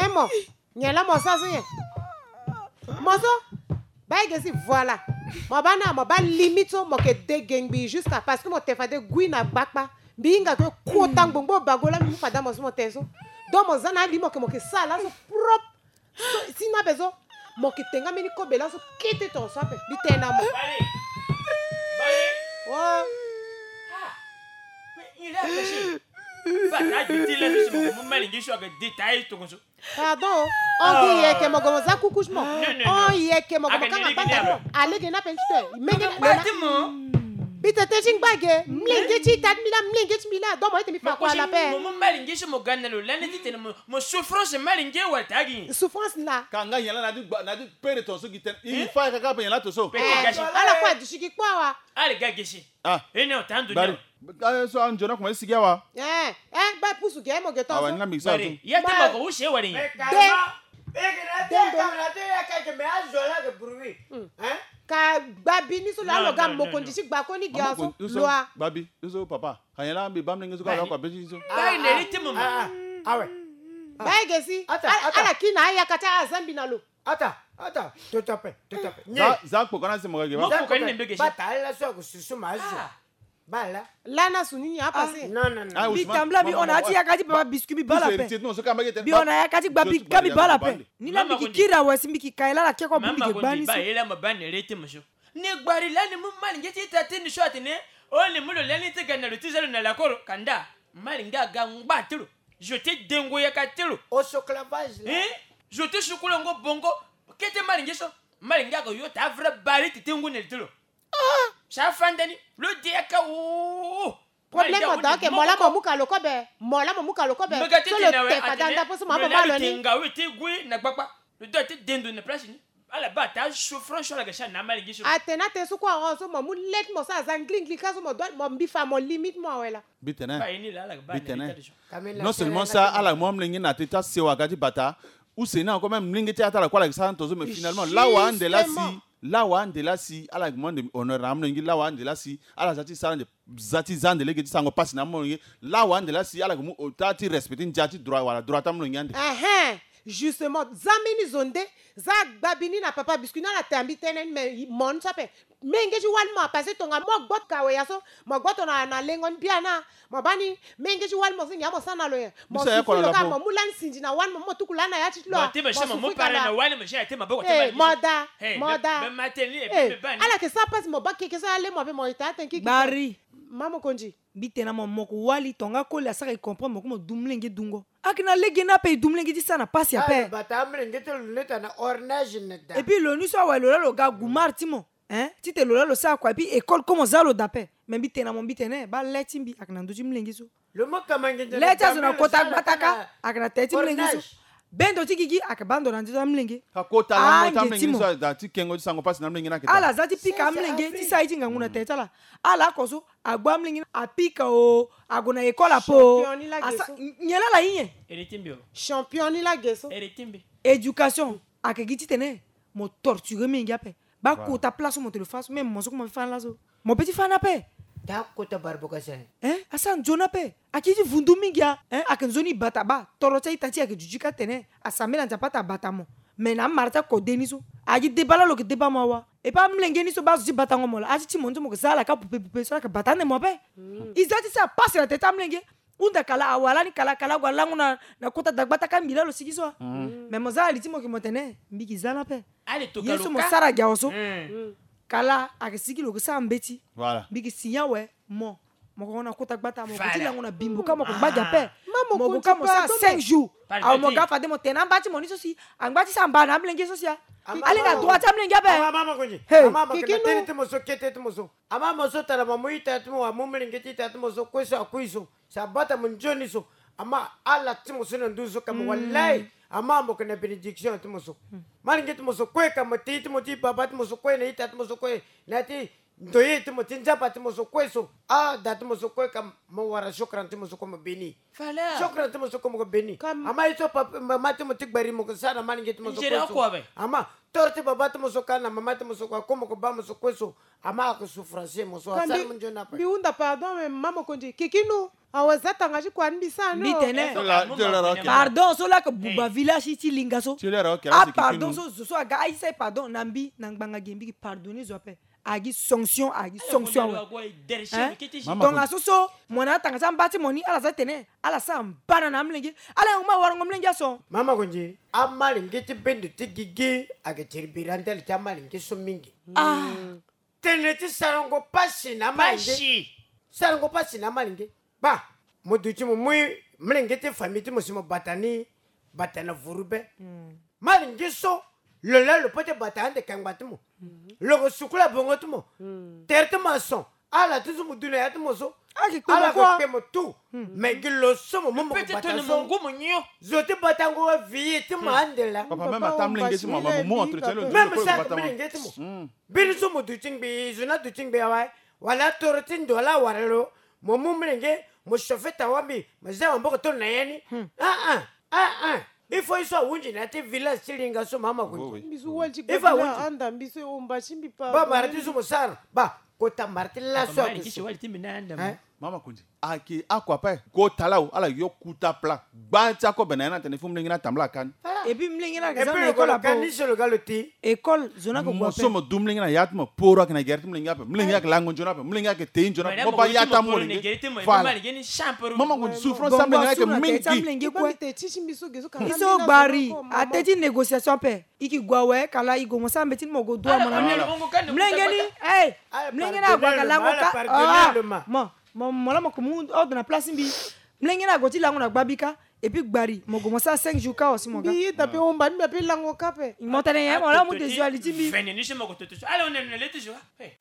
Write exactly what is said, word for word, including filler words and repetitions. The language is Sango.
Eh, mo, nyen la mo sara so nyen? Mo so, baa ege si, voilà. Mo baa na, mo baa limite so, mo yeke de gengbi jusqu'à, parce que mo tene fade gui na gbakpa. Mbi hinga ke kota ngbongbon bago laa mbi mu fade na mo so mo tene so. Donc mo za na ali mo yeke, mo yeke sara laso propre. So, si na ape so, mo yeke tenga mbeni kobe laso kete tongaso ape. Mbi tene na mo. Bale. Bale. Oh. Ah. Mais il a péché. Bata aduti laso si mo mu malingeti so ayeke détail tongaso. Pardon. On dit yeke mo gue mo za kuku si mo. Non, non, non. On yeke mo gue mo kanga banda mo. Alege ni ape ti te. Menge ni ape. Mbi tene ti ngba ge, mlenge ti ita ti mbi laa, mlenge ti mbi laa, donc mo ete mbi fa kua la pe. Mo mu malingeti so mo ga na lo lani ti tene mo, mo souffrance malingeti wala ta gi. Souffrance la. Ka nga nyen la na di gba, na di pere tongaso gi tene. Il faut kaka pe nyen la tongaso. Ala kue aduti gi kpo awa. Ale ga ge si. Ah. E ni ota ndo ni. Bari. Ah, so anzoni akomanse sigi awa. Eh, eh, ba pusu ge mo ge tongaso. Awa, ni na mbi sa. Bari. Ya te mo ko use wari. De. Dendo. Ka gba bi ni so laa lo ga mokonzi ti gba koni ge aso. Lo a gba bi ni so papa. Ka nyen la mbi baa mlenge so ka lo akua be ti ni so. Baa e na iri ti mo ma. Awe. Baa e ge si. Ala kiri na ayaka ti azambi na lo. Ata, ata, toto ape, toto ape. Za, za kpoko na se mo ga ge ba. Mo kpoko ni na mbege si. Bata ala so ako susu ma azo. Bala. Lana su ni ni apase. Non, non, non. Mbi tambula mbi hon na ya ti yaka ti papa biscuit mbi baa la pe. Mbi hon na yaka ti gba mbi ka mbi baa la pe. Ni la mbi ki kiri awe si mbi ki ka e la la ke ko bu mbi ge gba ni so. Ba e la ma baa ni rete mo so. Ni gbari lani mu malingeti ita ti ni so atene. O ni mu lo lani ti ga na lo ti za lo na lakoro kanda. Malinga aga ngba ti lo. Zo ti dengo yaka ti lo. Oso clavage la. Hein? Zo ti sukulango bongo. Kete malinge so. Malinga aga yo ta vrai bari ti tengu nel ti lo. Ah! Sa fanda ni. Lo de yaka o. Problème mo da ke mo la mo muka lo kobe. Mo la mo muka lo kobe. So lo te fada nda poso ma mo ma lo ni. Nga we ti gui na gbakpa. Lo do ti dendo na place ni. Ala baa ta souffrance so ala ga sara na amalingeti so. Atene atene so kue ahon so mo mu le ti mo so aza nglingli ka so mo doit mo mbi fa mo limite mo awe la. Mbi tene. Mbi tene. Non seulement ça ala mu amolenge na teti asewa ga ti bata. Use ni encore même molenge ti ata ala kue ala ga sara tongaso mais finalement lawa ande la si. Lawa ande la si ala ga mu ande honneur na amolenge lawa ande la si ala za ti sara ande. Za ti za ande lege ti sango pasi na amolenge. Lawa ande la si ala ga mu ota ti respect ti ndia ti droit wala droit ti amolenge ande. Ehe. Justement za mbeni zo nde. Za gba bi ni na papa biscuit ni ala te ambi tënë ni mais mo ni so ape. Menge ti wali mo apase tonga mo gboto kawe ya so. Mo gboto na na lengo ni bia na. Mo baa ni menge ti wali mo so ngia mo sara na lo nyen. Mo sufri lo kâ mo mu lani sinzi na wali mo mo tuku lani na ya ti ti lo. Mo da mo da. Ala yeke sara pasi mo baa keke so ale mo ape mo ita atene kiki. Bari. Mama mokonzi. Mbi tene na mo mo ko wali tonga koli asara e comprendre mo ko mo du mlenge dungo. Ake na lege ni ape e du mlenge ti sara na pasi ape. Bata amlenge ti lo leta na ornage na da. Et puis lo ni so awe lo la lo ga gumar ti mo. Hein? Ti te lo la lo sara kua et puis école ko mo za lo da ape. Mais mbi tene na mo mbi tene baa le ti mbi ake na ndö ti mlenge so. Lo mo kama nginza le ti azo na kota gbata ka ake na tere ti mlenge so. Bendo ti gigi ake baa ndo na ndö ti amlenge. Ka kota lango ti amlenge so aza ti kengo ti sango pasi na amlenge ni ake daa. Ala za ti pika amlenge ti sara ye ti ngangu na tere ti ala. Ala oko so agbu amlenge ni apika o ague na école ape o. Asa nyen la ala ye nyen? Ere ti mbi o. Champion ni la ge so. Ere ti mbi. Éducation ake gi titene mo torture menge ape. Baa kota place so mo te lo fâ so même mo so koma fâ ni laso. Mo peut ti fâ ni ape. Daa kota barboka sene. Hein? Asara nzoni ape. Ake ti vundu mingi a. Hein? Ake nzoni bata baa toro ti a-ita ti e ake duti ka tene asambela Nzapa ata bata mo. Mais na amara ti akode ni so agi deba laa lo yeke deba mo awa. E pas amolenge ni so baa azo ti batango mo laa ati ti mo ni so mo yeke za ala ka pupe pupe so ala yeke bata ande mo ape. E za ti sara pasi na tete amolenge. Hunda kala awa lani kala kala ague alango na na kota dagbata ka mbi laa lo sigi so a. Mais mo za ali ti mo yeke mo tene mbi yeke za ni ape. Ye so mo sara gi awe so. Kala ayeke sigi lo yeke sara mbeti. Mbi yeke si nyen awe mo. Mo ko na kota gbata mo ko ti lango na bimbo ka mo ko ngba gi ape. Mo ko ka mo sara cinq jours. Awe mo ga fade mo tene na amba ti mo ni so si angba ti sara mba na amolenge so si a. Ale na droit ti amolenge ape. Ama mo ko ni. Ama mo ko na tene ti mo so kete ti mo so. Ama mo so tara mo mu ita ti mo wa mu molenge ti ita ti mo so kue so akui so. Si abata mo nzoni so. Ama ala ti mo so na nduzu so ka mo walai. Ama mo ko na bénédiction ti mo so. Malenge ti mo so kue ka mo ti ti mo ti baba ti mo so kue na ita ti mo so kue na ti ndoye ti mo ti nzapa ti mo so kue so. Ah da ti mo so kue ka mo wara shukran ti mo so kue mo béni. Shukran ti mo so kue mo ko béni. Ama ye so papa mama ti mo ti gbari mo ko sara na malenge ti mo so kue so. Ama Toro ti baba ti mo so ka na mama ti mo so kua, ko mo ko ba mo so kue so. Ama ake souffrance mo so asara mo nzoni ape. Mbi hunda pardon, mais mama Mokonzi, kikinu. Awa, za tanga ti kua ni mbi sara ni. Mbi tene. Pardon so laa ake buba village ti linga so. Ah, pardon so zo so aga aye sa e pardon na mbi na ngbanga ge, mbi ki pardonner zo ape. Agi sanction, agi sanction awe. Hein? Donc aso so mo na atanga ti amba ti mo ni, ala za tene ala sara mbana na amolenge. Ala yongo ma warango molenge aso. Mama Mokonzi, amalenge ti bendo ti gigi ake tiribira ndali ti amalenge so mingi. Ah. Tene ti sarango pasi na amalenge. Sarango pasi na amalenge. Ba, mo duti mo mu molenge ti famille ti mo si mo bata ni, bata na vuru be. Malenge so, lo laa lo peut ti bata ande kangba ti mo. Lo ko sukula bongo ti mo. Tere ti maçon, ala ti so mo du na ya ti mo so. Ala ko kpe mo tout. Mais gi lo so mo mu mo ko bata so. Zo ti batango wa vie ti mo ande laa. Papa, même ata molenge ti mo, mo mu entretien lo. Même ça, molenge ti mo. Biri so mo duti ngbii, zo ni aduti ngbii awe. Wala toro ti ndo ala wara lo. Mo mu molenge, mo chauffer tawa mbi, mo za maboko tongana na ya ni. Ah, ah, ah, ah. Il faut ye so ahunzi na ya ti village ti linga so, mama Mokonzi. Il faut ahunzi. Anda mbi so e homba ti mbi, papa. Ba mara ti so mo sara. Ba kota mara ti laso ake so. Hein? Mama Mokonzi. Ake akua ape. Kota laa, ala yo kuta plat. Gba ti akobe na ya ni atene fo molenge ni atambula ka ni. Et puis molenge ni ake za na école ape. Ni so lo ga lo ti école, zo ni ake gue ape. Mo so mo du molenge na ya ti mo, poro ake na gere ti molenge ape. Molenge ake lango nzoni ape. Molenge ake te nzoni ape. Mo ba ya ti amolenge. Voilà. Mama Mokonzi, souffrance ti amolenge ake mingi. Ye so gbari, ate ti négociation ape. I ki gue awe, kala i gue mo sara mbeti ni mo gue du amana. Molenge ni, eh, molenge ni ague ake lango ka. Ah, mo, mo, mo la mo ko mu ordre na place mbi. Molenge ni ague ti lango na gbabi ka. Et puis gbari, mo gue mo sara cinq jours ka aussi mo ga. Mbi ye da pe homba ni, mbi ape lango ka pe. Mo tene ye, mo la mo desuali ti mbi. Vene ni si mo ko toto so. Allez, on est le toujours. Hey.